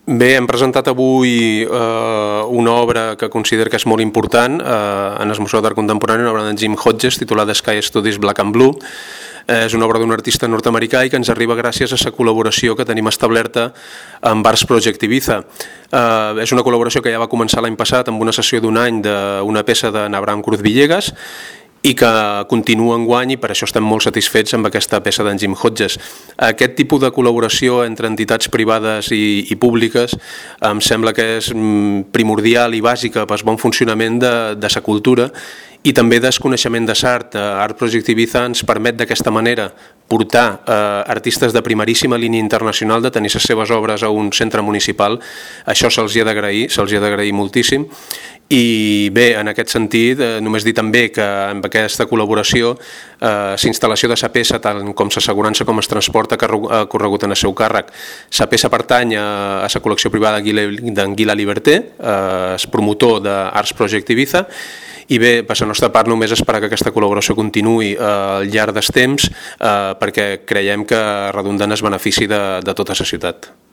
Bé, hem presentat avui una obra que considero que és molt important en el Museu d'Art Contemporani, una obra d'en Jim Hodges titulada Sky Studies Black and Blue. És una obra d'un artista nord-americà i que ens arriba gràcies a la col·laboració que tenim establerta amb Arts Project Ibiza. És una col·laboració que ja va començar l'any passat amb una sessió d'un any d'una peça de Abraham Cruz Villegas i que continua enguany, i per això estem molt satisfets amb aquesta peça d'en Jim Hodges. Aquest tipus de col·laboració entre entitats privades i públiques em sembla que és primordial i bàsica pel bon funcionament de la cultura i també del coneixement de l'art. Art Project Ibiza ens permet d'aquesta manera portar artistes de primeríssima línia internacional de tenir les seves obres a un centre municipal. Això se'ls ha d'agrair moltíssim. I bé, en aquest sentit, només dir també que amb aquesta col·laboració la instal·lació de la peça, tant com l'assegurança com el transport, ha corregut en el seu càrrec. La peça pertany a la col·lecció privada d'en Guila Liberté, el promotor d'Arts Project Ibiza, i bé, per la nostra part només esperar que aquesta col·laboració continuï al llarg dels temps perquè creiem que redunda en el benefici de tota la ciutat.